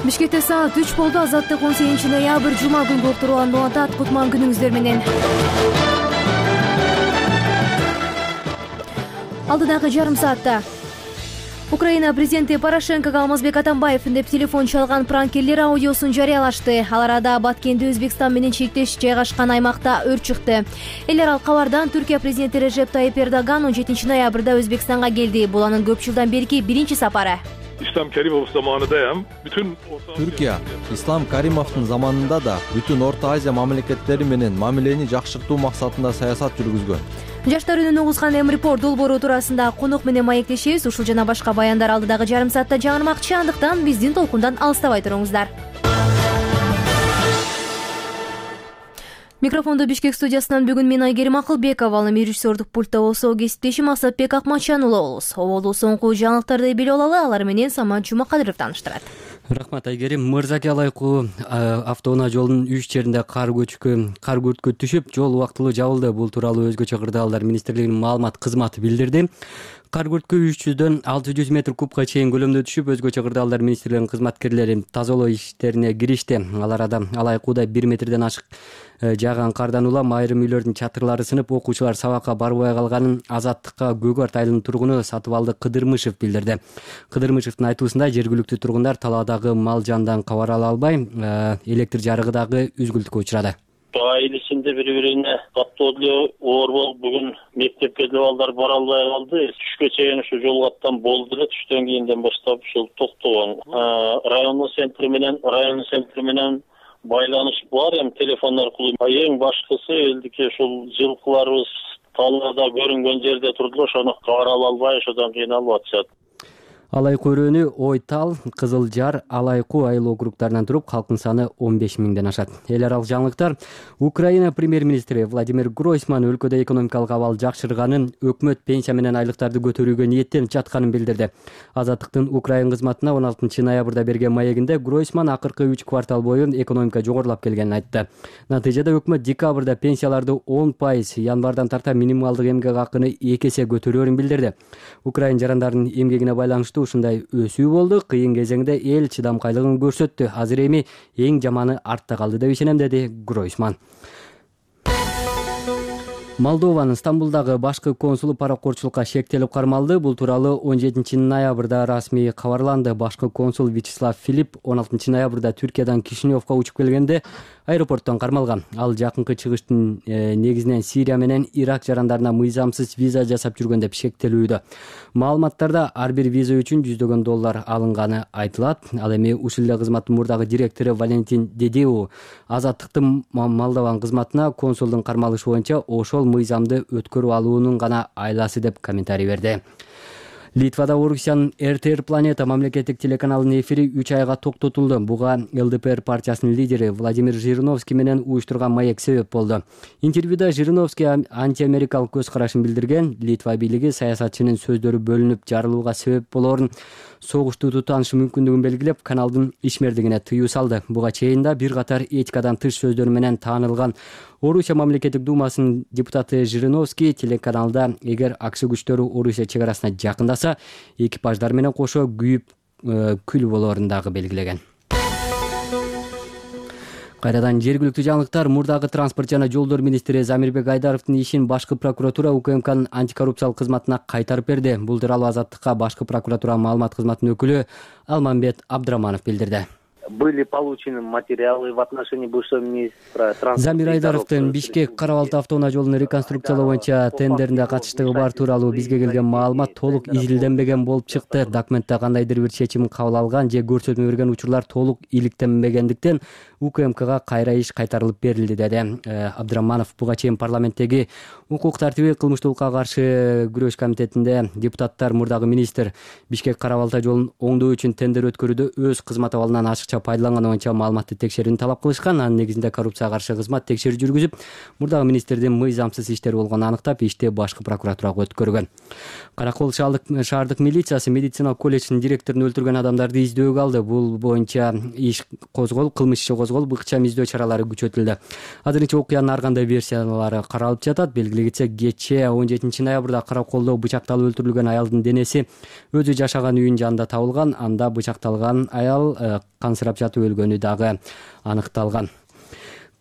Бишкекте саат 3 болду. Азаттык 18-ноябрь жума күнгү уктурууланып атат. Кутман күнүңүздөр менен. Алдыдагы жарым саатта Украина президенти Порошенкого Алмазбек Атамбаев деп телефон чалган пранкерлер аудиосун жарыялашты. Ал арада Баткенде Өзбекстан менен чектеш жайгашкан аймакта өрт чыкты. Эл аралык кабардан Түркия президенти Режеп Тайип Эрдоган 17-ноябрда Өзбекстанга келди. Бул анын көп жылдан берки биринчи сапары. İslam Karimov zamanında ham bütün Türkiye, İslam Karimov'un zamanında da bütün Orta Азия мамлекеттери менен мамилени жакшыртуу максатында саясат жүргүзгөн. Жаштар үнүн угузган М-Report долбоору туурасында конок менен маектешебиз. Ушул жана башка баяндар алдыдагы жарым саатта жаңырмакчы, андыктан биздин толкундан алыстабай туруңуздар. Микрофонду Бишкек студиясынан бүгүн мен Айгерим Акылбекова, ал эми режиссердук пультта болсо кесиптешим Асатбек Акмачануулу болобуз. Оболду соңку жаңылыктарды билип алалы, алар менен Самат Жумакадыров тааныштырат. Рахмат Айгерим. Мырзаке Алайкуу автоунаа жолунун 3 жеринде кар күрткө түшүп, жол убактылуу жабылды. Бул тууралуу Өзгөчө кырдаалдар министрлигинин маалымат кызматы билдирди. Кар күрткө 300дөн 600 метр кубка чейин көлөмдө түшүп, Өзгөчө кырдаалдар министрлигинин кызматкерлери тазалоо иштерине киришти. Ал арада Алайкууда 1 метрден ашык жааган кардан улам айрым үйлөрдүн чатырлары сынып, окуучулар сабакка барбай калганын Азаттыкка Көгөрт айылынын тургуну Сатыбалды Кыдырмышев билдирди. Кыдырмышевдин айтуусунда жергиликтүү тургундар талаадагы мал жандан кабар ала албай, электр жарыгы дагы үзгүлтүккө учурады. Айылысында бири-бирине каттоолуу оор болуп, бүгүн мектепке балдар бара албай калды. Түшкө чейин ушу жол каттан болду эле, түштөн кийинден баштап ушул токтогон. Райондун центри менен байланыш бар, телефон аркылуу. Эң башкысы элдики ушул жылкыларыбыз талаада көрүнгөн жерде турду, ошону кабар ала албай, ошодон кыйналып атышат. Алайкуу өрөөнү Ойтал, Кызыл Жар, Алайкуу айыл округтарынан туруп, калктын саны 15 миңден ашат. Эл аралык жаңылыктар. Украина премьер-министри Владимир Гройсман өлкөдө экономикалык абал жакшырганын, өкмөт пенсия менен айлыктарды көтөрүүгө ниеттенип жатканын билдирди. Азаттыктын Украина кызматына 16-ноябрда берген маегинде Гройсман акыркы 3 квартал бою экономика жогорулап келгенин айтты. Натыйжада өкмөт декабрда пенсияларды 10%, январдан тарта минималдык эмгек акыны 2 эсе көтөрөөрүн билдирди. Украина жарандарынын эмгегине байланыштуу ушундай өсүү болду. Кыйын кезеңде эл чыдамкайлыгын көрсөттү. Азыр эми эң жаманы артта калды деп ишенем, деди Гройсман. Молдованын Стамбулдагы башкы консулу паракорчулукка шектелип кармалды. Бул тууралуу 17-ноябрда расмий кабарланды. Башкы консул Вячеслав Филипп 16-ноябрда Түркиядан Кишиневка учуп келгенде аэропорттон кармалган. Ал жакынкы чыгыштын негизинен Сирия менен Ирак жарандарына мыйзамсыз виза жасап жүргөн деп шектелүүдө. Маалыматтарда ар бир виза үчүн $100,000 алынганы айтылат. Ал эми ушул эле кызматтын мурдагы директору Валентин Дедеу Азаттыктын Молдован кызматына консулдун кармалышы боюнча ошол мыйзамды өткөрүп алуунун гана айласы деп комментарий берди. Литвада Орусиянын РТР Планета мамлекеттик телеканалынын эфири 3 айга токтотулду. Буга ЛДПР партиясынын лидери Владимир Жириновский менен уюштурган маек себеп болду. Интервьюда Жириновский антиамерикалык көз карашын билдирген. Литва бийлиги саясатчынын сөздөрү бөлүнүп жарылууга себеп болоорун, согушту тутанышы мүмкүндүгүн белгилеп, каналдын ишмердигине тыюу салды. Буга чейин да бир катар этикадан тыш сөздөрү менен таанылган Орусия мамлекеттик думасынын депутаты Жириновский телеканалда эгер АКШ күчтөрү Орусия чек арасына жакындаса, экипаждар менен кошо күйүп күл болоорун дагы белгилеген. Кайрадан жергиликтүү жаңылыктар. Мурдагы транспорт жана жолдор министри Замирбек Айдаровдун ишин башкы прокуратура УКМКнын антикоррупциялык кызматына кайтарып берди. Бул тууралуу Азаттыкка башкы прокуратура маалымат кызматынын өкүлү Алмамбет Абдраманов билдирди. Были получены материалы в отношении бывшего министра транспорта. Замир Айдаровдун Бишкек Карабалты автоунаа жолун реконструкциялоо боюнча тендеринде катыштыгы бар тууралуу бизге келген маалымат толук изилденбеген болуп чыкты. Документте кандайдыр бир чечим кабыл алган же көрсөтмө берген учурлар толук иликтенбегендиктен УКМКга кайра иш кайтарылып берилди, деди Абдраманов. Буга чейин парламенттеги укук тартиби, кылмыштуулукка каршы күрөш комитетинде депутаттар мурдагы министр Бишкек Карабалты жолун оңдоо үчүн тендер өткөрүүдө өз кызмат абалынан ашыкча пайдаланганы боюнча маалыматты текшерүүнү талап кылышкан. Анын негизинде коррупцияга каршы кызмат текшерүү жүргүзүп, мурдагы министрдин мыйзамсыз иштери болгонун аныктап, ишти башкы прокуратурага өткөргөн. Каракол шаардык милициясы медициналык колледждин директорун өлтүргөн адамдарды издөөгө алды. Бул боюнча кылмыш иши козголуп, ыкчам издөө чаралары күчөтүлдү. Азырынча окуянын ар кандай версиялары каралып жатат. Белгилей кетсек, кечээ 17-ноябрда Караколдо бычакталып өлтүрүлгөн аялдын денеси өзү жашаган үйүнүн жанында табылган. Анда бычакталган аял канцер ысырап жатып өлгөнү дагы аныкталган.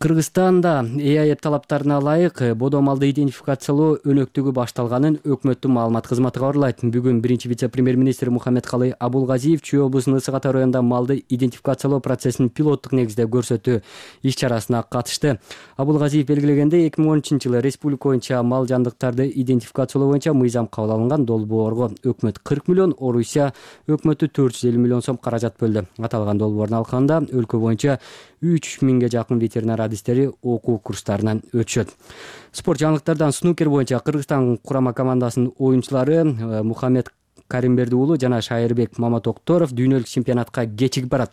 Кыргызстанда ЭАЭП талаптарына ылайык бодо малды идентификациялоо өнөктүгү башталганын өкмөттүн маалымат кызматы кабарлайт. Бүгүн биринчи вице-премьер-министр Мухаммедкалый Абулгазиев Чүй облусунун Ысык Ата районунда малды идентификациялоо процессин пилоттук негизде көрсөтүү иш-чарасына катышты. Абулгазиев белгилегендей, 2013-жылы республика боюнча мал жандыктарды идентификациялоо боюнча мыйзам кабыл алынган. Долбоорго өкмөт 40 миллион, Орусия өкмөтү 450 миллион сом каражат бөлдү. Аталган долбоордун алкагында өлкө боюнча 3000ге жакын ветеринар адистери окуу курстарынан өтүшөт. Спорт жаңылыктардан снукер боюнча Кыргызстан курама командасынын оюнчулары Мухаммед Каримберди уулу жана Шайырбек Маматокторов дүйнөлүк чемпионатка кечигип барат.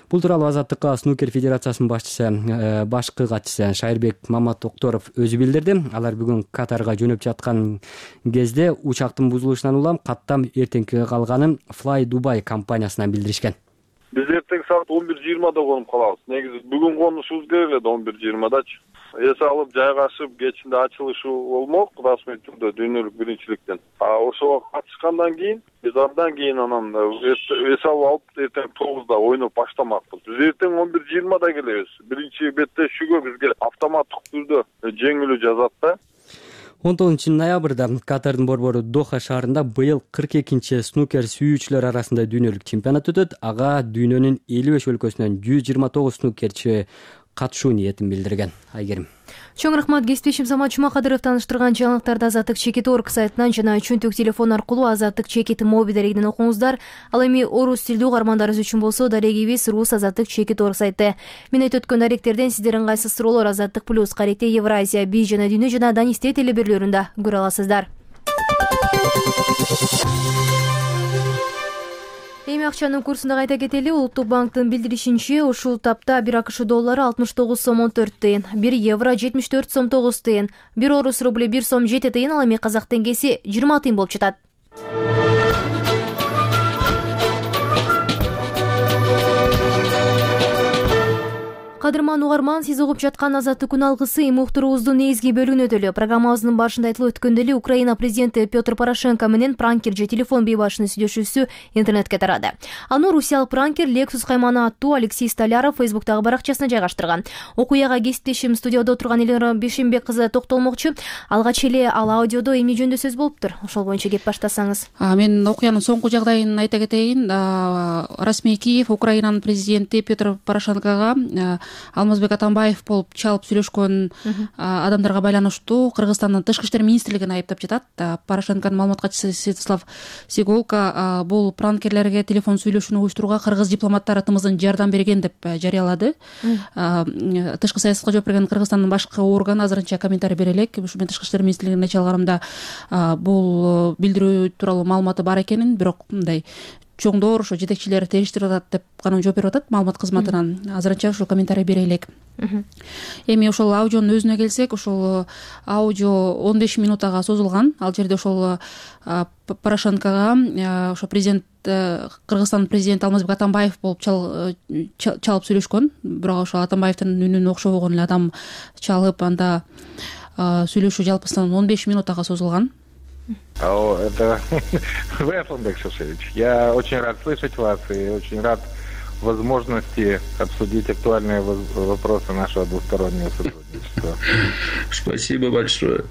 Бул тууралуу Азаттыкка снукер федерациясынын башкы катчысы Шайырбек Маматокторов өзү билдирди. Алар бүгүн Катарга жөнөп жаткан кезде учактын бузулушунан улам каттам эртеңкиге калганын Fly Dubai компаниясынан билдиришкен. Biz erteng saat 11:20'da konуп kalabız. Negizi bugün konuşubuz керек эле 11:20'dачы. Эс алып жайгашып кечинде ачылышы болмок расмий түрдө дүйнөлүк биринчиликтен. Ошого катышкандан кийин биз андан кийин анан эс алып эртең 9'da ойноп баштамакпыз. Биз эртең 11:20'da келебиз. Биринчи беттешүүгө бизге автоматтык түрдө жеңилүү жазат да. 19-ноябрда Катардын борбору Доха шаарында быйыл 42-чи снукер сүйүүчүлөр арасында дүйнөлүк чемпионат өтөт. Ага дүйнөнүн 55 өлкөсүнөн 129 снукерчи катышуу ниетин билдирген. Айгерим. Чоң рахмат, кесиптешим Самат Чумакадыров таныштырган жаңылыктарды Азаттык Чекит орг сайтынан жана чөнтөк телефон аркылуу Азаттык Чекит моби дарегинен окуңуздар. Ал эми орус тилдүү угармандарыбыз үчүн болсо дарегибиз рус Азаттык Чекит орг сайты. Мен айтып өткөн даректерден сиздер ыңгайсыз суроолор Азаттык плюс, Каректе Евразия, Би жана Дүйнө жана Данисте телеберлөрүндө көрө аласыздар. Эми акчанын курсунда кайта кетели. Улуттук банктын билдиришинче, ушул тапта 1 АКШ доллары 69 сом 14 тыйын, 1 евро 74 сом 9 тыйын, 1 орус рубли 1 сом 7 тыйын, ал эми казак теңгеси 20 тыйын болуп жатат. Кадырман угарман, сиз угуп жаткан Азаттык күн алгысы уктуруубуздун негизги бөлүгүнө өтөлү. Программабыздын башында айтылып өткөндөй эле Украина президенти Петр Порошенко менен пранкер же телефон бейбашынын сүйлөшүүсү интернетке тарады. Аны русиялык пранкер Lexus кайманы аттуу Алексей Столяров Фейсбуктагы баракчасына жайгаштырган. Окуяга кесиптешим студияда отурган Эльнара Бешенбек кызы токтолмокчу. Алгач эле ал аудиодо эмне жөнүндө сөз болуптур? Ошол боюнча кеп баштасаңыз. Мен окуянын соңку жагдайын айта кетейин. Расмий Киев Украинанын президенти Петр Порошенкого Алмазбек Атамбаев болуп чалып сүйлөшкөн адамдарга байланыштуу Кыргызстандын тышкы иштер министрлигин айыптап жатат. Порошенконун маалымат катчысы Святослав Сиголко бул пранкерлерге телефон сүйлөшүүнү уюштурууга кыргыз дипломаттары тымызын жардам берген деп жарыялады. Тышкы саясатка жооп берген Кыргызстандын башкы органы азырынча комментарий бере элек. Ушу мен тышкы иштер министрлигине чалганымда бул билдирүү тууралуу маалыматы бар экенин, бирок мындай чоңдор ошо жетекчилери териштирип атат деп гана жооп берип атат маалымат кызматынан. Азырынча ушул комментарий бере элек. Эми ошол аудионун өзүнө келсек, ошол аудио 15 минутага созулган. Ал жерде ошол Порошенкого ошо президент Кыргызстандын президенти Алмазбек Атамбаев болуп чалып сүйлөшкөн. Бирок ошол Атамбаевдин үнүнө окшобогон эле адам чалып, анда сүйлөшүү жалпысынан 15 минутага созулган. Это вы, Асланбек Шушевич. Я очень рад слышать вас и очень рад возможности обсудить актуальные вопросы нашего двустороннего сотрудничества. Спасибо большое.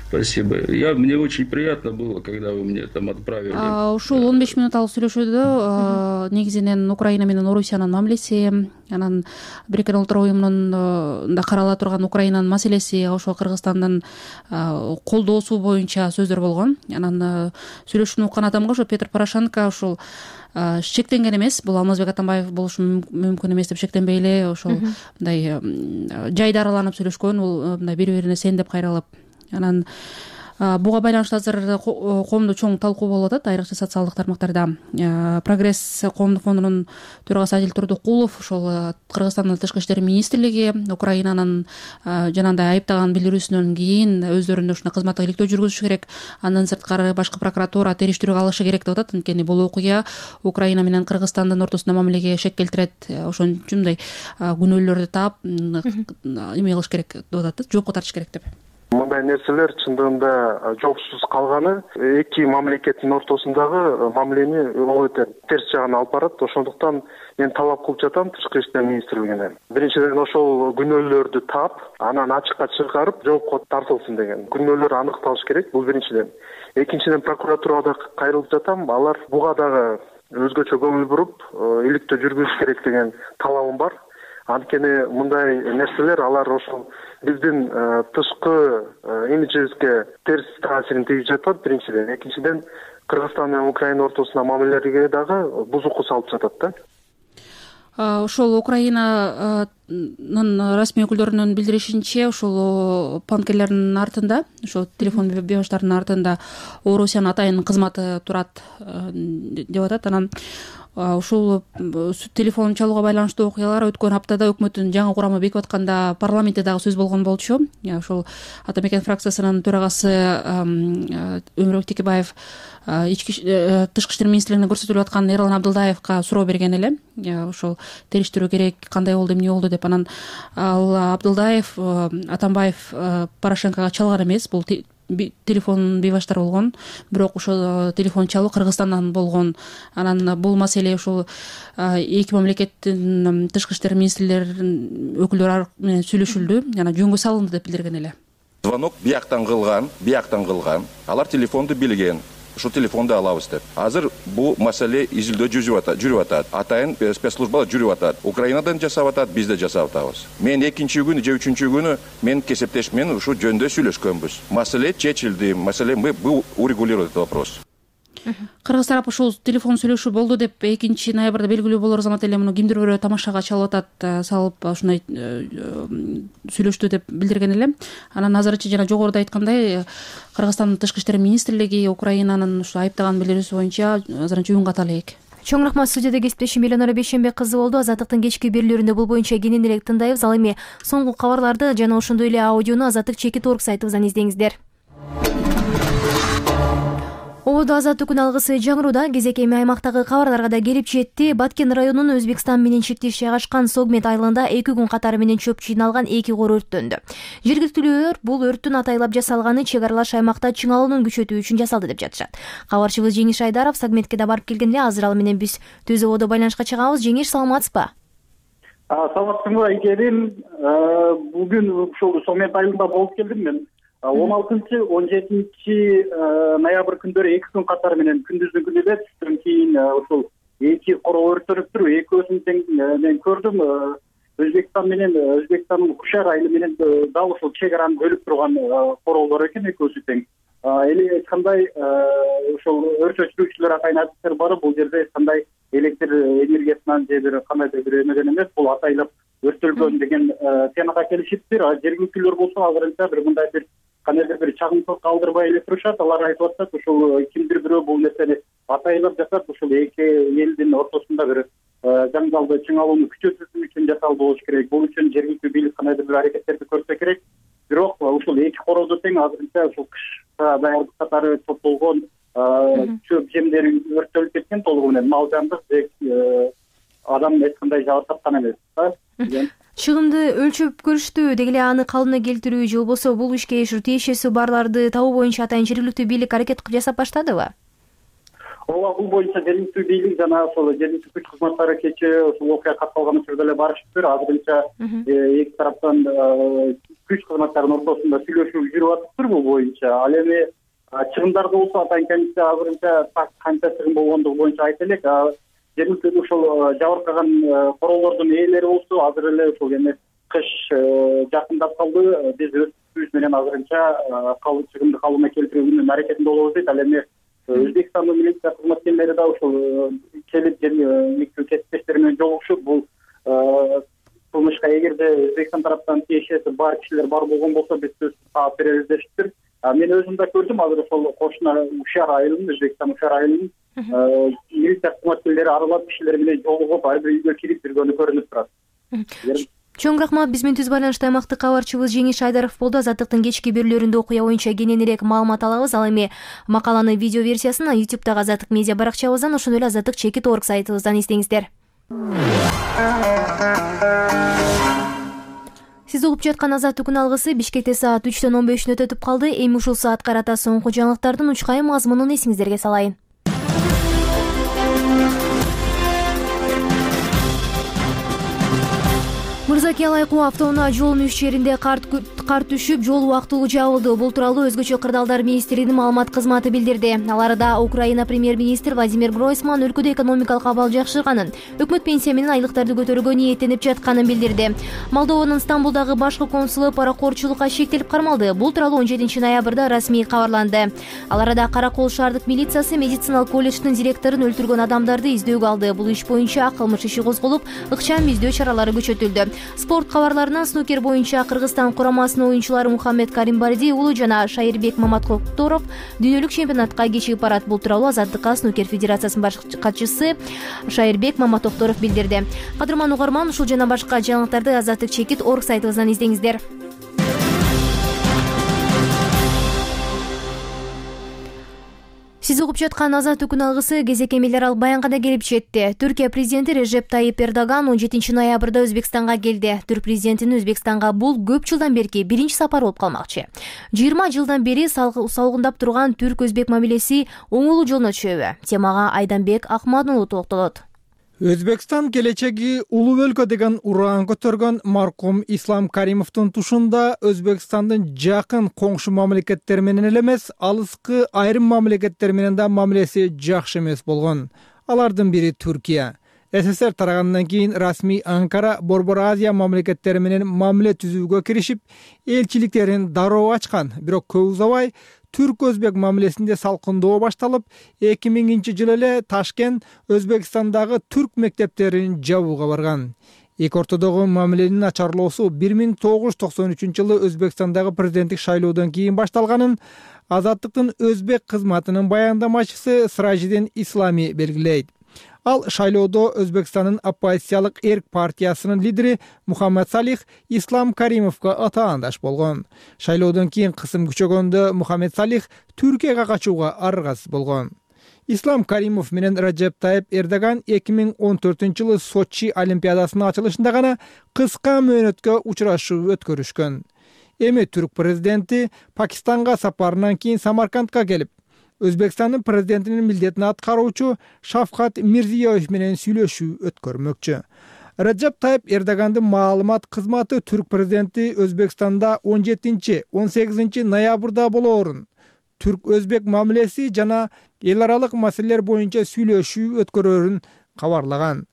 Спасибо. Мне очень приятно было, когда вы мне там отправили. Ушул 15 минуталык сүйлөшүүдө негизинен Украина менен Орусиянын мамилеси, анан Бириккен Улуттар уюмунун да карала турган Украинанын маселеси, ошо Кыргызстандын колдоосу боюнча сөздөр болгон. Анан сүйлөшүүнү уккан адамга ошо Петр Порошенко ушул шектенген эмес, бул Алмазбек Атамбаев болушу мүмкүн эмес деп шектенбей эле ошол мындай жайда араланып сүйлөшкөн, бул мындай бири-бирине сендеп кайрылып. Анан буга байланыштуу азыр коомдо чоң талкуу болуп атат, айрыкча социалдык тармактарда. Прогресс коомдук фондунун төрагасы Адил Турдукулов ошол Кыргызстандын тышкы иштер министрлиги Украинанын жанагындай айыптаган билдирүүсүнөн кийин өздөрүнүн ушуна кызматтык иликтөө жүргүзүш керек, андан сырткары башкы прокуратура териштирүүгө алышы керек деп атат. Анткени бул окуя Украина менен Кыргызстандын ортосунда мамилеге шек келтирет, ошон үчүн мындай күнөөлөрдү таап эме кылыш керек деп атат, жоопко тартыш керек деп. Мы мындай нерселер чындыгында жоопсуз калганы эки мамлекеттин ортосундагы мамилени өтө терс жагына алып барат. Ошондуктан мен талап кылып жатам Тышкы иштер министрлигине. Биринчиден ошол күнөөлөрдү таап, анан ачыкка чыгарып жоопко тартылсын деген. Күнөөлөр аныкталыш керек, бул биринчиден. Экинчиден прокуратурага кайрылып жатам. Алар буга дагы өзгөчө көңүл буруп, иликтөө жүргүзүш керек деген талабым бар. Анткени мындай нерселер алар ошол биздин тышкы имиджибизге терс таасирин тийгизип жатат биринчиден. Экинчиден Кыргызстан менен Украина ортосундагы мамилелерге дагы бузуку салып жатат да. Ошол Украинанын расмий өкүлдөрүнүн билдиришинче, ошол панкерлердин артында, ошол телефон бебаштардын артында Орусиянын атайын кызматы турат деп атат. Анан ушул телефон чалууга байланыштуу окуялар өткөн аптада өкмөттүн жаңы курамы бекип атканда парламентте дагы сөз болгон болчу. Ошол Ата Мекен фракциясынын төрагасы Өмүрбек Текебаев Тышкы иштер министрлигине көрсөтүлүп аткан Эрлан Абдылдаевка суроо берген эле. Ошол териштирүү керек, кандай болду, эмне болду деп. Анан ал Абдылдаев Атамбаев Порошенкого чалган эмес, бул телефон бейбаштар болгон, бирок ошол телефон чалуу Кыргызстандан болгон. Анан бул маселе ошол эки мамлекеттин тышкы иштер министрлеринин өкүлдөрү менен сүйлөшүлдү, жана жөнгө салынды деп билдирген эле. Звонок бияктан кылган, алар телефонду билген. Ушул телефонду алабыз деп. Азыр бул маселе изилдөө жүрүп атат. Атайын спецслужбалар жүрүп атат. Украинадан жасап атат, биз да жасап атабыз. Мен экинчи күнү же үчүнчү күнү мен кесиптеш менен ушул жөндө сүйлөшкөнбүз. Маселе чечилди. Маселе мы урегулировали этот вопрос. Кыргыз тарап ушул телефон сүйлөшүү болду деп 2 ноябрда белгилүү болор замат эле муну кимдир бирөө тамашага чалып атат, салып ушундай сүйлөштү деп билдирген эле. Анан азырынча жана жогоруда айткандай Кыргызстандын тышкы иштер министрлиги Украинанын ушу айыптаган билдирүүсү боюнча азырынча үн ката элек. Чоң рахмат. Студияда кесиптешим Элонора Бейшенбек кызы болду. Азаттыктын кечки берүүлөрүндө бул боюнча кенен элек тындайбыз. Ал эми соңку кабарларды жана ошондой эле аудиону Азаттык.org сайтыбыздан издеңиздер. Ободо азаттык күн алгысы жаңыруда кезек эми аймактагы кабарларга да келип жетти. Баткен районунун Өзбекстан менен чектеш жайгашкан Согмет айылында 2 күн катары менен чөп жыйналган 2 кор өрттөндү. Жергиликтүүлөр бул өрттүн атайлап жасалганы чек аралаш аймакта чыңалуунун күчөтүү үчүн жасалды деп жатышат. Кабарчыбыз Жеңиш Айдаров Согметке да барып келген эле. Азыр ал менен биз Түз ободо байланышка чыгабыз. Жеңиш, саламатсызбы? Саламатсызбы Айгерим. Бүгүн ушул Согмет айылында болуп келдим мен. 16-17 ноябрь күндөрү 2 күн катары менен күндүздүн күнү эле түштөн кийин ушул 2 коро өрттөнүптүр. Экөөсүн мен көрдүм. Өзбекстандын Кушар айылы менен дал ушул чек араны бөлүп турган королдор экен, экөөсү тең. Эли айткандай ушул өрт өчүрүүчүлөр атайын адистер барып, бул жерде кандай электр энергиясынан же бир кандайдыр бир эмеден эмес, бул атайлап өрттөлгөн деген темага келишиптир. Жергиликтүүлөр болсо азырынча бир мындай бир кандайдыр бир чагымсыз калтырбай эле турушат. Алар айтып атышат, ушул кимдир бирөө бул нерсени атайлап жасап, ушул эки элдин ортосунда бир жаңжалды чыңалууну күчөтүү үчүн жасалды болуш керек. Бул үчүн жергиликтүү бийлик кандайдыр бир аракеттерди көрсө керек. Бирок ушул эки кородо тең азырынча ушул кышка даярдык катары топтолгон чөп жемдери өрттөлүп кеткен толугу менен. Мал жандык же адам эч кандай жабыр тапкан эмес. Чыгымды өлчөп көрүштү, деги эле аны калыбына келтирүү же болбосо бул ишке тиешеси барларды табуу боюнча атайын жергиликтүү бийлик аракет жасап баштадыбы? Ооба, бул боюнча жергиликтүү бийлик жана ошол жергиликтүү күч кызматтары кечээ ушул окуя катталган учурда эле барышыптыр. Азырынча эки тараптан күч кызматтарынын ортосунда сүйлөшүү жүрүп атыптыр бул боюнча. Ал эми чыгымдарды болсо атайын комиссия азырынча канча чыгым болгондугу боюнча айта элек. Жергиликтүү ушул жабыркаган королдордун ээлери болсо азыр эле ушул эме кыш жакындап калды. Биз өз күчүбүз менен азырынча чыгымды калыбына келтирүүнүн аракетинде болобуз дейт. Ал эми Өзбекстандын милиция кызматкерлери да ушул келип жергиликтүү кесиптештер менен жолугушуп, бул кылмышка эгерде Өзбекстан тараптан тиешеси бар кишилер бар болгон болсо биз таап беребиз дешиптир. Мен өзүм да көрдүм, азыр ошол кошуна Ушар айылын, Өзбекстан Ушар айылын милиция кызматкерлери аралап кишилер менен жолугуп, ар бир үйгө кирип жүргөнү көрүнүп турат. Чоң рахмат. Биз менен түз байланышта аймактык кабарчыбыз Жеңиш Айдаров болду. Азаттыктын кечки берүүлөрүндө окуя боюнча кенен элек маалымат алабыз. Ал эми макаланын видео версиясын YouTube'дагы Азаттык медиа баракчабыздан, ошондой эле Азаттык.org сайтыбыздан издеңиздер. Сиз угуп жаткан Азаттык күн алгысы Бишкекте саат 3:15 өтүп калды. Эми ушул саатка карата соңку жаңылыктардын учкай мазмунун эсиңиздерге салайын. Мырзаке Алайкуу автоунаа жолунун 3 жеринде кар түшүп, жол убактылуу жабылды. Бул тууралуу өзгөчө кырдаалдар министрлигинин маалымат кызматы билдирди. Аларда Украина премьер-министр Владимир Гройсман өлкөдө экономикалык абал жакшырганын, өкмөт пенсия менен айлыктарды көтөрүүгө ниеттенип жатканын билдирди. Молдованын Стамбулдагы башкы консулу паракорчулукка шектелип кармалды. Бул тууралуу 17 ноябрда расмий кабарланды. Ал арада Каракол шаардык милициясы медициналык колледждин директорун өлтүргөн адамдарды издөөгө алды. Бул иш боюнча кылмыш иши козголуп, ыкчам издөө чаралары күчөтүлдү. Спорт кабарларынан снукер боюнча Кыргызстан курамасынын оюнчулары Мухаммед Каримбарди уулу жана Шайырбек Маматкокторов дүйнөлүк чемпионатка кечигип барат. Бул тууралуу Азаттыкка снукер федерациясынын баш катчысы Шайырбек Маматкокторов билдирди. Кадырман угарман, ушул жана башка жаңылыктарды Азаттык чекит орг сайтыбыздан издеңиздер. Сиз угуп жаткан Азаттык күн алгысы кезекемелер ал баянгада келип жетти. Түркия президенти Режеп Тайип Эрдоган 17 ноябрда Өзбекстанга келди. Түрк президентинин Өзбекстанга бул көп жылдан берки биринчи сапар болуп калмакчы. 20 жылдан бери салгындап турган түрк-өзбек мамилеси оңолуу жолуна түшөбү? Темага Айданбек Акмадулов токтолот. Өзбекстан келечеги улуу өлкө деген ураан көтөргөн маркум Ислам Каримовдун тушунда Өзбекстандын жакын коңшу мамлекеттер менен эле эмес, алыскы айрым мамлекеттер менен да мамилеси жакшы эмес болгон. Алардын бири Түркия. СССР тарагандан кийин расмий Анкара Борбор Азия мамлекеттери менен мамиле түзүүгө киришип, элчиликтерин дароо ачкан. Бирок көп узабай түрк-өзбек мамилесинде салкындоо башталып, 2000-жылы эле Ташкент Өзбекстандагы түрк мектептерин жабууга барган. Эки ортодогу мамиленин начарлоосу 1993-жылы Өзбекстандагы президенттик шайлоодон кийин башталганын Азаттыктын өзбек кызматынын баяндамачысы Сражидин Ислами белгилейт. Ал шайлоодо Өзбекстандын оппозициялык эрк партиясынын лидери Мухаммед Салих Ислам Каримовго атаандаш болгон. Шайлоодон кийин кысым күчөгөндө Мухаммед Салих Түркияга качууга аргасыз болгон. Ислам Каримов менен Режеп Тайип Эрдоган 2014-жылы Сочи олимпиадасынын ачылышында гана кыска мөөнөткө учурашуу өткөрүшкөн. Эми түрк президенти Пакистанга сапарынан кийин Самаркандка келип, Өзбекстандын президентинин милдетин аткаруучу Шавкат Мирзиёев менен сүйлөшүү өткөрмөкчү. Режеп Тайип Эрдогандын маалымат кызматы түрк президенти Өзбекстанда 17-18 ноябрда болоорун, түрк-өзбек мамилеси жана эл аралык маселелер боюнча сүйлөшүү өткөрөрүн кабарлаган.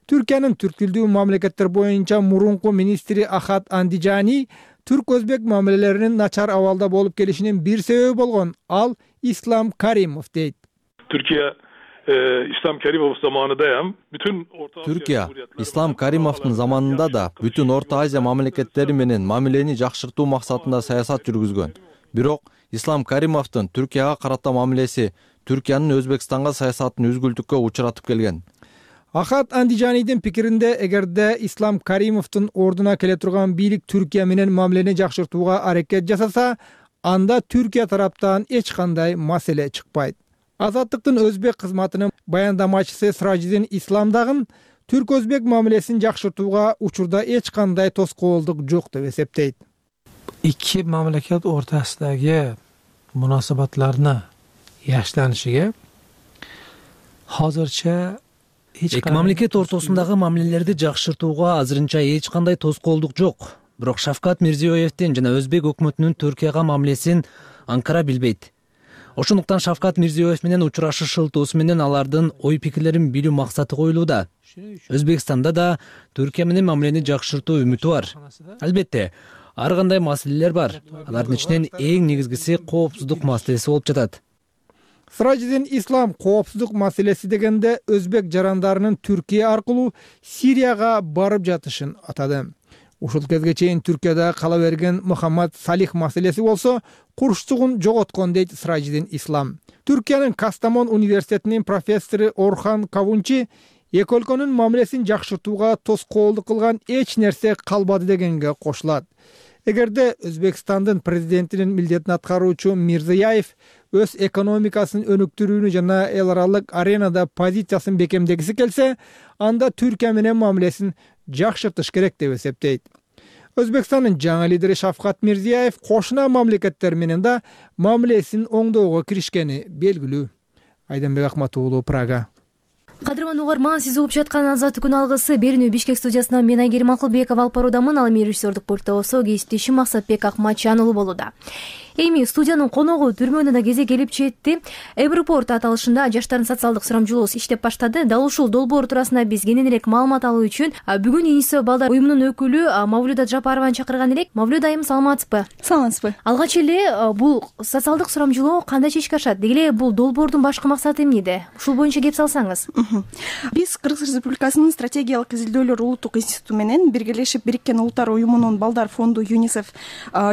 Түркиянын түрк тилдүү мамлекеттер боюнча мурунку министри Ахат Андижани түрк-өзбек мамилелеринин начар абалда болуп келишинин бир себеби болгон. Ал Ислам Каримов дейт. Türkiye İslam Karimov zamanındayım. Bütün Türkiye İslam Karimovдун заманында да бүтүн Орто Азия мамлекеттери менен мамилени жакшыртуу максатында саясат жүргүзгөн. Бирок Ислам Каримовдун Түркияга карата мамилеси Түркиянын Өзбекстанга саясатын үзгүлтүккө учуратып келген. Ахат Андижанидин пикиринде, эгерде Ислам Каримовдун ордуна келе турган бийлик Түркия менен мамилени жакшыртууга аракет жасаса, анда Түркия тараптан эч кандай маселе чыкпайт. Азаттыктын өзбек кызматынын баяндамачысы Сражидин Ислам дагы түрк-өзбек мамилесин жакшыртууга учурда эч кандай тоскоолдук жок деп эсептейт. Ikki mamlakat o'rtasidagi munosabatlarni yaxshilanishiga hozircha эки мамлекет ортосундагы мамилелерди жакшыртууга азырынча эч кандай тоскоолдук жок. Бирок Шавкат Мирзиёевдин жана өзбек өкмөтүнүн Түркияга мамилесин Анкара билбейт. Ошондуктан Шавкат Мирзиёев менен учурашышылтуусу менен алардын ой пикирлерин билүү максаты коюлууда. Өзбекстанда да Түркия менен мамилени жакшыртуу үмүтү бар. Албетте, ар кандай маселелер бар. Алардын ичинен эң негизгиси коопсуздук маселеси болуп жатат. Сражидин Ислам коопсуздук маселеси дегенде өзбек жарандарынын Түркия аркылуу Сирияга барып жатышын атады. Ушул кезге чейин Түркияда кала берген Мухаммад Салих маселеси болсо курчтугун жоготкон дейт Сражидин Ислам. Түркиянын Кастамон университетинин профессору Орхан Кавунчи эки өлкөнүн мамилесин жакшыртууга тоскоолдук кылган эч нерсе калбады дегенге кошулат. Эгерде Өзбекстандын президентинин милдетин аткаруучу Мирзияев өз экономикасын өнүктүрүүнү жана эл аралык аренада позициясын бекемдегиси келсе, анда Түркия менен мамилесин жакшыртыш керек деп эсептейт. Өзбекстандын жаңы лидери Шавкат Мирзиёев кошуна мамлекеттер менен да мамилесин оңдоого киришкени белгилүү. Айданбек Акматуулу, Прага. Кадырман угарман, сиз угуп жаткан Азаттык күн алгысы берүүнү Бишкек студиясынан мен Айгерим Акылбеков алып баруудамын. Ал эми режиссердик пультта болсо кесиптешим Максатбек Акматжан уулу болууда. Эми студиянын коногу түрмөнүн да кезек келип жетти. Эвропорт аталышында жаштардын социалдык сурамжылоосу иштеп баштады. Дал ушул долбоор туурасында биз кененирээк маалымат алуу үчүн бүгүн ЮНИСЕФ балдар уюмунун өкүлү Мавлюда Жапарованы чакырган элек. Мавлюда айым, саламатсызбы? Саламатсызбы. Алгач эле бул социалдык сурамжылоо кандай чечке ашат? Деги эле бул долбоордун башкы максаты эмнеде? Ушул боюнча кеп салсаңыз. Биз Кыргыз Республикасынын стратегиялык изилдөөлөр улуттук институту менен биргелешип Бириккен Улуттар уюмунун балдар фонду ЮНИСЕФ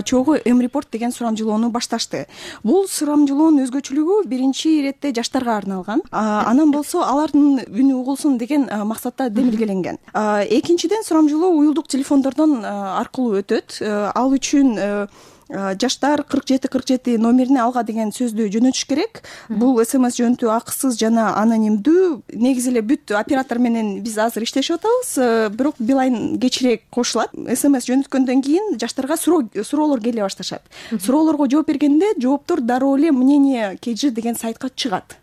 чогуу Эмрепорт деген сурамжылоону башташты. Бул сурамжылоонун өзгөчөлүгү биринчи иретте жаштарга арналган. Анан болсо алардын үнү угулсун деген максатта демилгеленген. Экинчиден, сурамжылоо уюлдук телефондордон аркылуу өтөт. Ал үчүн жаштар 4747 номерине алга деген сөздү жөнөтүш керек. Бул СМС жөнөтүү акысыз жана анонимдүү. Негизи эле бүт оператор менен биз азыр иштешип атабыз, бирок Билайн кечирээк кошулат. СМС жөнөткөндөн кийин жаштарга суроолор келе башташат. Суроолорго жооп бергенде жооптор дароо эле мнение KG деген сайтка чыгат.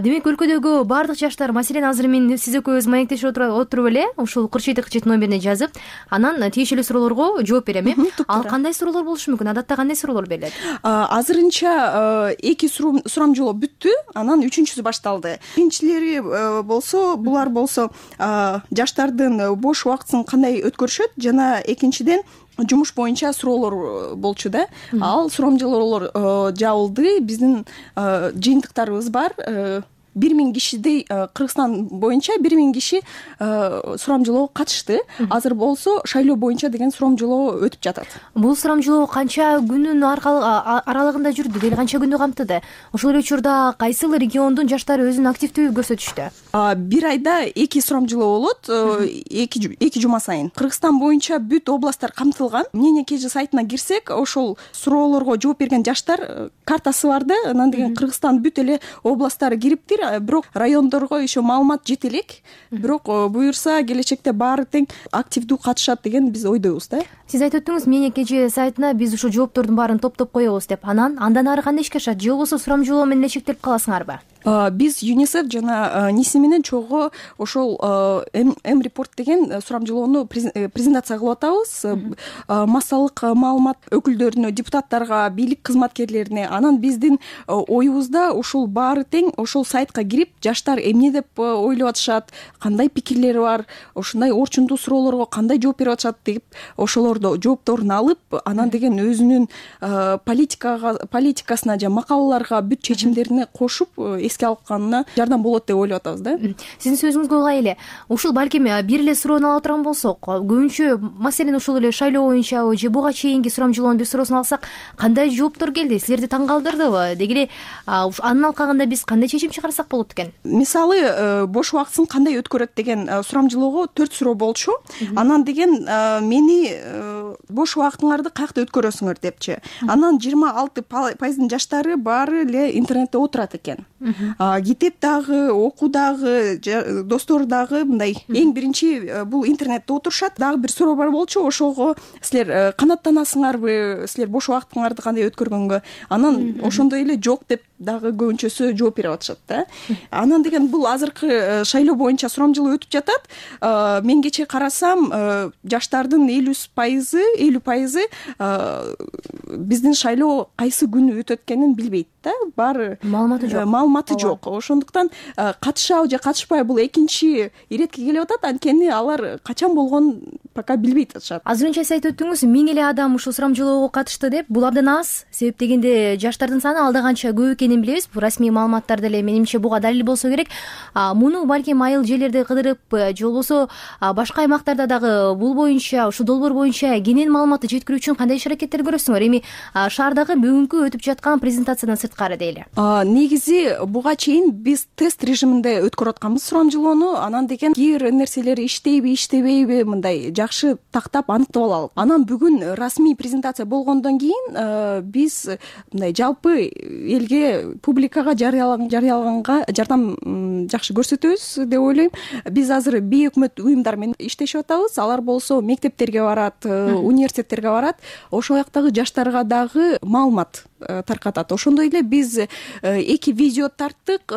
Демек өлкөдөгү бардык жаштар, маселен азыр мен сиз экөөбүз маектешип отуруп эле ушул 4747 номерине жазып, анан тиешелүү суроолорго жооп берем, э? Ал кандай суроолор болушу мүмкүн? Адатта кандай суроолор берилет? Азырынча 2 сурамжылоо бүттү, анан 3-чүсү башталды. Биринчилери болсо, булар болсо жаштардын бош убактысын кандай өткөрүшөт жана экинчиден жумуш боюнча суроолор болчу да. Ал сурамжылоолор жабылды. Биздин жыйынтыктарыбыз бар. 1000 кишидей Кыргызстан боюнча 1000 киши сурамжылоого катышты. Азыр болсо шайлоо боюнча деген сурамжылоо өтүп жатат. Бул сурамжылоо канча күнүн аралыгында жүрдү? Дел канча күндү камтыды? Ошол эле учурда кайсыл региондун жаштары өзүн активдүү көрсөтүштү? Бир айда 2 сурамжылоо болот, 2 жума сайын. Кыргызстан боюнча бүт областтар камтылган. Мнение KG сайтына кирсек, ошол суроолорго жооп берген жаштар картасы бар да. Анан деген Кыргызстан бүт эле областтары кириптир. Бирок райондорго еще маалымат жете элек. Бирок буюрса келечекте баары тең активдүү катышат деген биз ойдойбуз да. Сиз айтып өттүңүз, Мнение KG сайтына биз ушул жооптордун баарын топтоп коебуз деп. Андан ары кандай ишке ашат? Же болбосо сурамжылоо менен эле чектелип каласыңарбы? Биз ЮНИСЕФ жана НИСИ менен чогуу ошол Эмрепорт деген сурамжылоону презентация кылып атабыз. Массалык маалымат өкүлдөрүнө, депутаттарга, бийлик кызматкерлерине. Анан биздин оюбузда ушул баары тең ошол сайтка кирип, жаштар эмне деп ойлоп атышат, кандай пикирлери бар, ушундай орчундуу суроолорго кандай жооп берип атышат деп ошолордо жоопторун алып, анан деген өзүнүн политикасына жана макалаларга бүт чечимдерине кошуп эске алып калганына жардам болот деп ойлоп атабыз да. Сиздин сөзүңүзгө улай эле ушул балким бир эле суроону ала турган болсок, көбүнчө маселен ушул эле шайлоо боюнча же буга чейинки сурамжылоонун бир суроосун алсак, кандай жооптор келди? Силерди таң калтырдыбы? Деги эле анын алкагында биз кандай чечим чыгарсак болот экен? Мисалы, бош убактысын кандай өткөрөт деген сурамжылоого 4 суроо болчу. Анан деген мени бош убактыңарды каякта өткөрөсүңөр депчи. Анан 26% жаштары баары эле интернетте отурат экен. Китеп дагы, окуу дагы, достор дагы мындай эң биринчи бул интернетте отурушат. Дагы бир суроо бар болчу, ошого силер канааттанасыңарбы, силер бош убактыңарды кандай өткөргөнгө? Анан ошондой эле жок деп дагы көбүнчөсү жооп берип атышат да. Анан деген бул азыркы шайлоо боюнча сурамжылоо өтүп жатат. Мен кечээ карасам, жаштардын 50% биздин шайлоо кайсы күнү өтөт экенин билбейт да. Баары маалыматы жок. Ошондуктан катышабы же катышпайбы бул экинчи иретке келип атат. Анткени алар качан болгонун пока билбейт атышат. Азырынча сиз айтып өттүңүз, 1000 эле адам ушул сурамжылоого катышты деп. Бул абдан аз. Себеп дегенде жаштардын саны алда канча көп экенин билебиз. Бул расмий маалыматтар деле менимче буга далил болсо керек. Муну балким айыл жерлерде кыдырып, же болбосо башка аймактарда дагы бул боюнча, ушул долбоор боюнча кенен маалыматты жеткирүү үчүн кандай иш-аракеттер көрөсүңөр? Эми шаардагы бүгүнкү өтүп жаткан презентациядан сырткары дейли. Негизи буга чейин биз тест режиминде өткөрүп атканбыз сурамжылоону. Анан деген кээ бир нерселери иштейби, иштебейби, мындай жакшы тактап аныктап алалы. Анан бүгүн расмий презентация болгондон кийин биз мындай жалпы элге, публикага жарыялаганга жардам жакшы көрсөтөбүз деп ойлойм. Биз азыр бейөкмөт уюмдар менен иштешип атабыз. Алар болсо мектептерге барат, университеттерге барат, ошол жактагы жаштарга дагы маалымат таркатат. Ошондой эле биз 2 видео тарттык.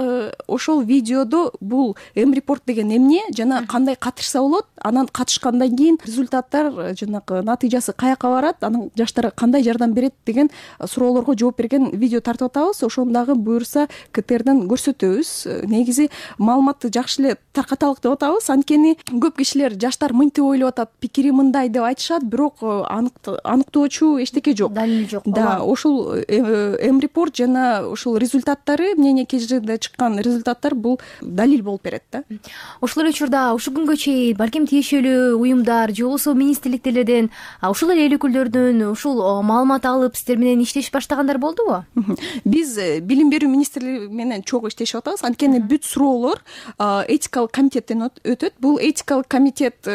Ошол видеодо бул М-репорт деген эмне жана кандай катышса болот, анан катышкандан кийин результаттар, жанагы натыйжасы каяка барат, анан жаштарга кандай жардам берет деген суроолорго жооп берген видео тартып атабыз. Ошону дагы буюрса КТРден көрсөтөбүз. Негизи маалыматты жакшы эле таркаталык деп атабыз. Анткени көп кишилер жаштар мынтип ойлоп атат, пикири мындай деп айтышат, бирок аныктоочу эчтеке жок. Далил жок. Да, ошол М-репорт жана ушул результаттары, мнение КЖД чыккан результаттар бул далил болуп берет да. Ошол эле учурда ушул күнгө чейин балким тиешелүү уюмдар же болбосо министрликтерден, ушул эле эл өкүлдөрүнөн ушул маалымат алып сиздер менен иштешип баштагандар болдубу? Биз билим берүү министрлиги менен чогуу иштешип атабыз. Анткени бүт суроолор этикалык комитеттен өтөт. Бул этикалык комитет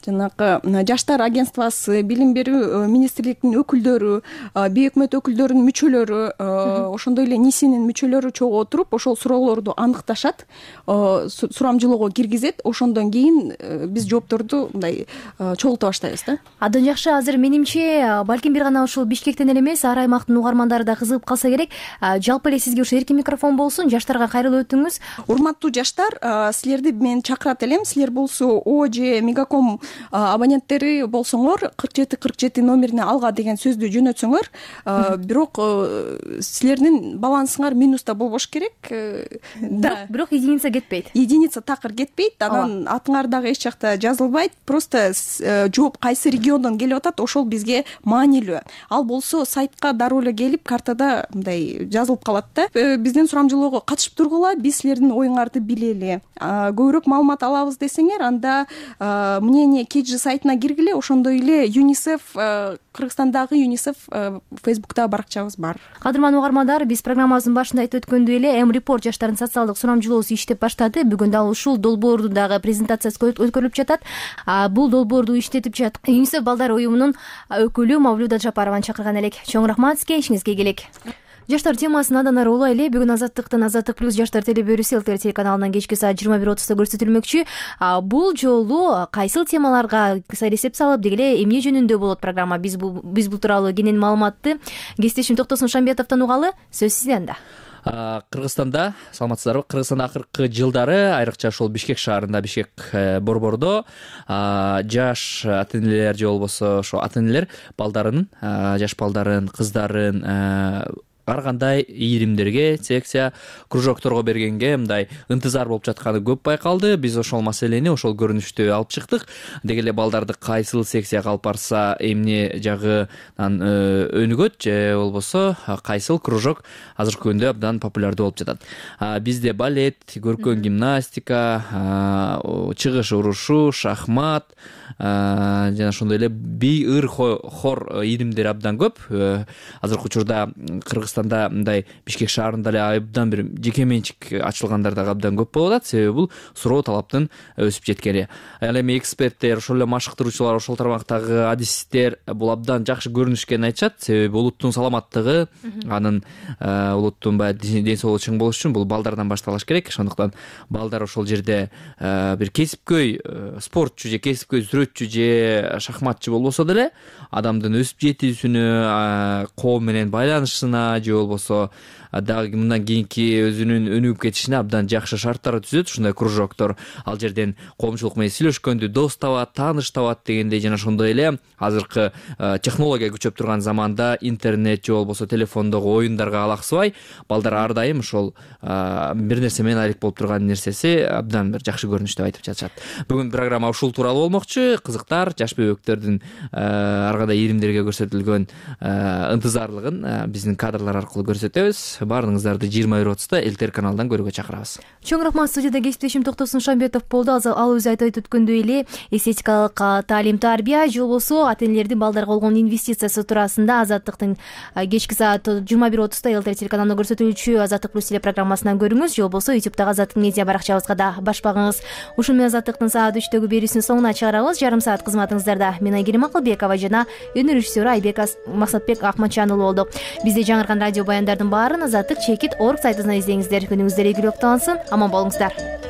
жанагы жаштар агентствосы, билим берүү министрлигинин өкүлдөрү, бейөкмөт өкүлдөрүнүн мүчөлөрү, ошондой эле НИСинин мүчөлөрү чогуу отуруп, ошол суроолорду аныкташат, сурамжылоого киргизет. Ошондон кийин биз жоопторду мындай чогулта баштайбыз да. Абдан жакшы. Азыр менимче балким бир гана ушул Бишкектен эле эмес, ар аймактын угармандары да кызыгып калса керек. Жалпы эле сизге ушу эркин микрофон болсун, жаштарга кайрылып өтүңүз. Урматтуу жаштар, силерди мен чакырат элем. Силер болсо О же Мегаком абоненттери болсоңор 4747 номерине алга деген сөздү жөнөтсөңөр, бирок силердин балансыңар минуста болбош керек. Да, бирок единица кетпейт. Единица такыр кетпейт. Анан атыңар дагы эч жакта жазылбайт. Просто жооп кайсы региондон келип атат, ошол бизге маанилүү. Ал болсо сайтка дароо эле келип, картада мындай жазылып калат да. Биздин сурамжылоого катышып тургула, биз силердин оюңарды билели. Көбүрөөк маалымат алабыз десеңер, анда мнение КЖ сайтына киргиле. Ошондой эле ЮНИСЕФ, Кыргызстандагы ЮНИСЕФ Фейсбуктагы баракчабыз бар. Кадырман угармандар, биз программабыздын башында айтып өткөндөй эле М-репорт жаштардын социалдык сурамжылоосу иштеп баштады. Бүгүн дал ушул долбоордун дагы презентациясы өткөрүлүп жатат. Бул долбоорду иштетип жатат ЮНИСЕФ балдар уюмунун өкүлү Мавлюда Жапарованы чакырган элек. Чоң рахмат сизге, ишиңизге келек. Жаштар темасын андан ары улайлы. Бүгүн Азаттыктын Азаттык плюс жаштар телебөрүсү ЛТР телеканалынан кечки саат 21:30 көрсөтүлмөкчү. Бул жолу кайсыл темаларга эсеп салып, дегеле эмне жөнүндө болот программа? Биз бул тууралуу кенен маалыматты кесиптешим Токтосун Шамбетовдон угалы. Сөз сизде анда. Кыргызстанда, саламатсыздарбы? Кыргызстанда акыркы жылдары, айрыкча ошол Бишкек шаарында, Бишкек борбордо жаш ата-энелер же болбосо ошо ата-энелер балдарын, жаш балдарын, кыздарын ар кандай ийримдерге, секция, кружокторго бергенге мындай ынтызар болуп жатканы көп байкалды. Биз ошол маселени, ошол көрүнүштү алып чыктык. Деги эле балдарды кайсыл секцияга алып барса эмне жагынан өнүгөт же болбосо кайсыл кружок азыркы күндө абдан популярдуу болуп жатат. Бизде балет, көркөм гимнастика, чыгыш урушу, шахмат жана ошондой эле бий, ыр, хор ийримдери абдан көп. Азыркы учурда Кыргызстанда мындай Бишкек шаарында эле абдан бир жеке менчик ачылгандар дагы абдан көп болуп атат. Себеби бул суроо талаптын өсүп жеткени. Ал эми эксперттер, ошол эле машыктыруучулар, ошол тармактагы адистер бул абдан жакшы көрүнүшкенин айтышат. Себеби улуттун саламаттыгы, анын улуттун баягы ден соолугу чың болуш үчүн бул балдардан башталыш керек. Ошондуктан балдар ошол жерде бир кесипкөй спортчу же кесипкөй сүрөтчү же шахматчы болбосо деле адамдын өсүп жетүүсүнө, коом менен байланышына же болбосо дагы мындан кийинки өзүнүн өнүгүп кетишине абдан жакшы шарттар түзөт ушундай кружоктор. Ал жерден коомчулук менен сүйлөшкөндү дос табат, тааныш табат дегендей. Жана ошондой эле азыркы технология күчөп турган заманда интернет же болбосо телефондогу оюндарга алаксыбай, балдар ар дайым ошол бир нерсе менен алек болуп турган нерсеси абдан бир жакшы көрүнүш деп айтып жатышат. Бүгүн программа ушул тууралуу болмокчу. Кызыктар, жаш бөбөктөрдүн ар кандай ийримдерге көрсөтүлгөн ынтызарлыгын биздин кадрлар каналдар аркылуу көрсөтөбүз. Баардыгыңыздарды 21:30 Элтер каналынан көрүүгө чакырабыз. Чоң рахмат. Студияда кесиптешим Токтосун Шамбетов болду. Ал өзү айтып өткөндөй эле эстетикалык таалим тарбия же болбосо ата энелердин балдарга болгон инвестициясы туурасында Азаттыктын кечки саат 21:30 Элтер телеканалында көрсөтүлүүчү Азаттык плюс телепрограммасынан көрүңүз, же болбосо YouTube'дагы Азаттык медиа баракчабызга да баш багыңыз. Ушун менен Азаттыктын саат 3-төгү берүүсүнүн соңуна чыгарабыз. Жарым саат кызматыңыздарда мен Айгерим Акылбекова жана өнөр режиссеру Айбек Максатбек Акматжанұлы болду. Бизде жаңыркан радио баяндардын баарын Азаттык чекит.org сайтынан издеңиздер. Күнүңүздөр ийгиликтүү болсун. Аман болуңуздар.